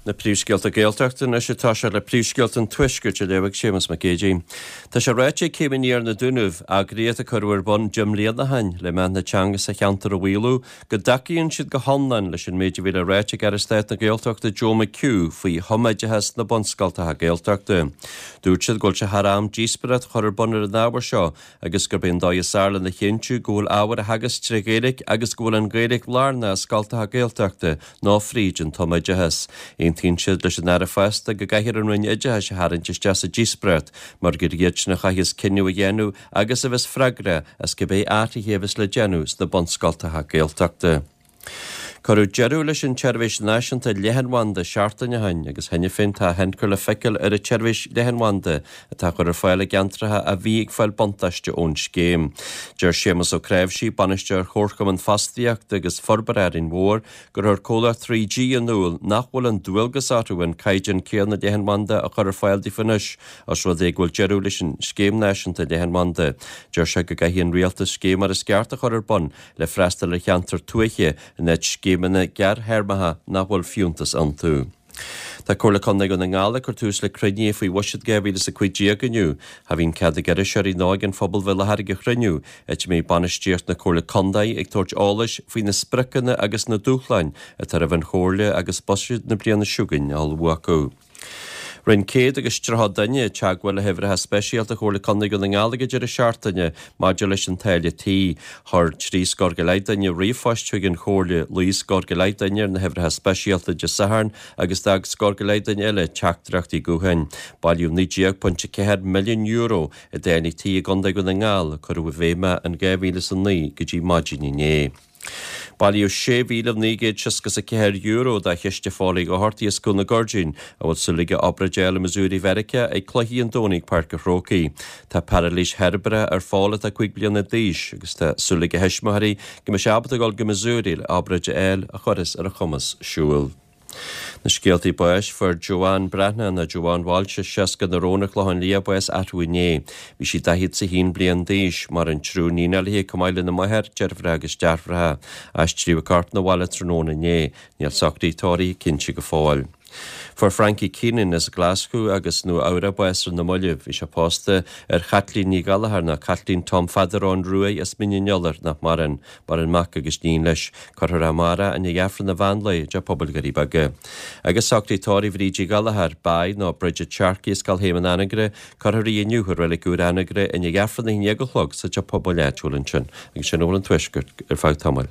Na príomhscéalta Gaeltachta anois ag toiseacht le príomhscéalta an Tuaiscirt á léamh ag Séamus Mac Géidigh. Tá sé ráite ag Céim Aniar na Dúnaibh, eagraíocht a cuireadh ar bun 10 mbliana ó shin le meath na teanga sa cheantar a mhaolú, go dtacaíonn siad go hiomlán leis an méid a bhí le ráit ag Aire Stáit na Gaeltachta Joe McHugh faoi thumoideachas sna bunscoltacha Gaeltachta. Dúirt siad go bhfuil sé thar am díospóireacht a chur ar bun ar an ábhar seo agus gurb é an dóigh is fhearr lena chinntiú go bhfuil ábhar á theagasc tré Ghaeilge agus go bhfuil an Ghaeilge lárnach i scoltacha Gaeltachta ná fríd an tumoideachas. Aontaíonn siad leis an Aire fosta go gcaithfear an Roinn Oideachais a tharraingt isteach sa díospóireacht mar gur iadsan a chaithfeas cinneadh a dhéanamh agus a bheas freagrach as cibé athruithe a bheas le déanamh sna bunscoltacha Gaeltachta. Cuireadh deireadh leis an tseirbhís náisiúnta leathanbhanda seachtain ó shin agus cheana féin tá a thionchar le feiceáil ar an tseirbhís leathanbhanda atá á chur ar fáil i gceantracha a bhí ag fáil buntáiste ón scéim. Deir Séamus Ó Cnáimhsí, Bainisteoir Chomharchumann Fostaíochta agus Forbartha Árainn Mhór, gur chuir comhlacht 3G in iúl nach bhfuil an dualgas orthu an caighdeán céanna leathanbhanda a chur ar fáil daofa anois os rud é go bhfuil deireadh leis an scéim náisiúnta leathanbhanda. Deir sé go gcaithfidh an Rialtas scéim mar is ceart a chur ar bun le freastal ar cheantair tuaithe in áit scéimeanna gearrthéarmacha nach bhfuil fiúntas iontu. Tá Comhairle Contae Dhún na nGall ag cur tús le cruinnithe faoi Bhuiséad 2015 inniu. Cha bhíonn cead ag iriseoirí ná ag an phobal bheith i láthair ag an chruinniú, áit a mbeidh bainistíocht na Comhairle Contae ag tabhairt eolais faoi na spriocanna agus na dúshláin atá roimh an Chomhairle agus buiséad na bliana seo chugainn á ullmhú acu. Rinne 130 duine teagmháil le huimhreacha speisialta Chomhairle Contae Dhún na nGall ag an deireadh seachtaine maidir leis an táille tí. Chuir 3 scór go leith duine ríomhphost chuig an Chomhairle, luigh scór go leith duine ar na huimhreacha speisialta Dé Sathairn agus d'fhág scór go leith duine eile teachtaireachtaí gutháin. Bailíodh €19.4 milliún i dtáillí tí i gContae Dhún na nGall a cuireadh i bhfeidhm in 2009 go dtí maidin inné. Bailíodh €6,964 do Chiste Phóil Uí Dhochartaigh as Cúil na Goirdín, a bhfuil súil aige obráid a fháil i Missouri Mheiriceá ag cluichí an Domhnaigh ag Páirc an Chrócaigh. Tá pairilís cheirbreach ar Phól atá 5 bliana d'aois agus tá súil ag a thuismitheoirí go mbeidh sé ábalta dul go Missouri le obráid a fháil a chuirfeas ar a chumas siúl. Na scéaltaí báis, Fuair Joanne Breathnach, nó Joanne Walsh, 60 na Rón, an Clochán Liath, bás arú inné. Bhí sí 41 bliain d'aois. Maireann triúr níonacha léi chomh maith lena máthair, deirfiúracha agus deartháireacha. Aistríodh a corp 'na bhaile tráthnóna inné. Níl socruithe tórraimh cinnte go fóill. Fuair Frankie Keenan as Glaschú agus Nua Eabhrac bás ar na mallaibh. Bhí sé pósta ar Chaitlín Ní Ghallchóir, nó Caitlín Tom Pheadair Eoin Ruaidh as Mín an Iolair, nach maireann. Maireann mac agus níon leis. Cuirfear é amárach i ndiaidh Aifreann an mheán lae i dTeach Pobail Dhoirí Beaga. Agus socruithe tórraimh Bhríd Uí Ghallchóir, Bai nó Bridget Sharkey as Scoil Shéamoin Anagaire, cuirfear í inniu i Reilig Úr Anagaire i ndiaidh Aifreann a haon dhéag a chlog sa Teach Pobail áitiúil ansin. Agus sin a bhfuil ón Tuaisceart ar feadh tamaill.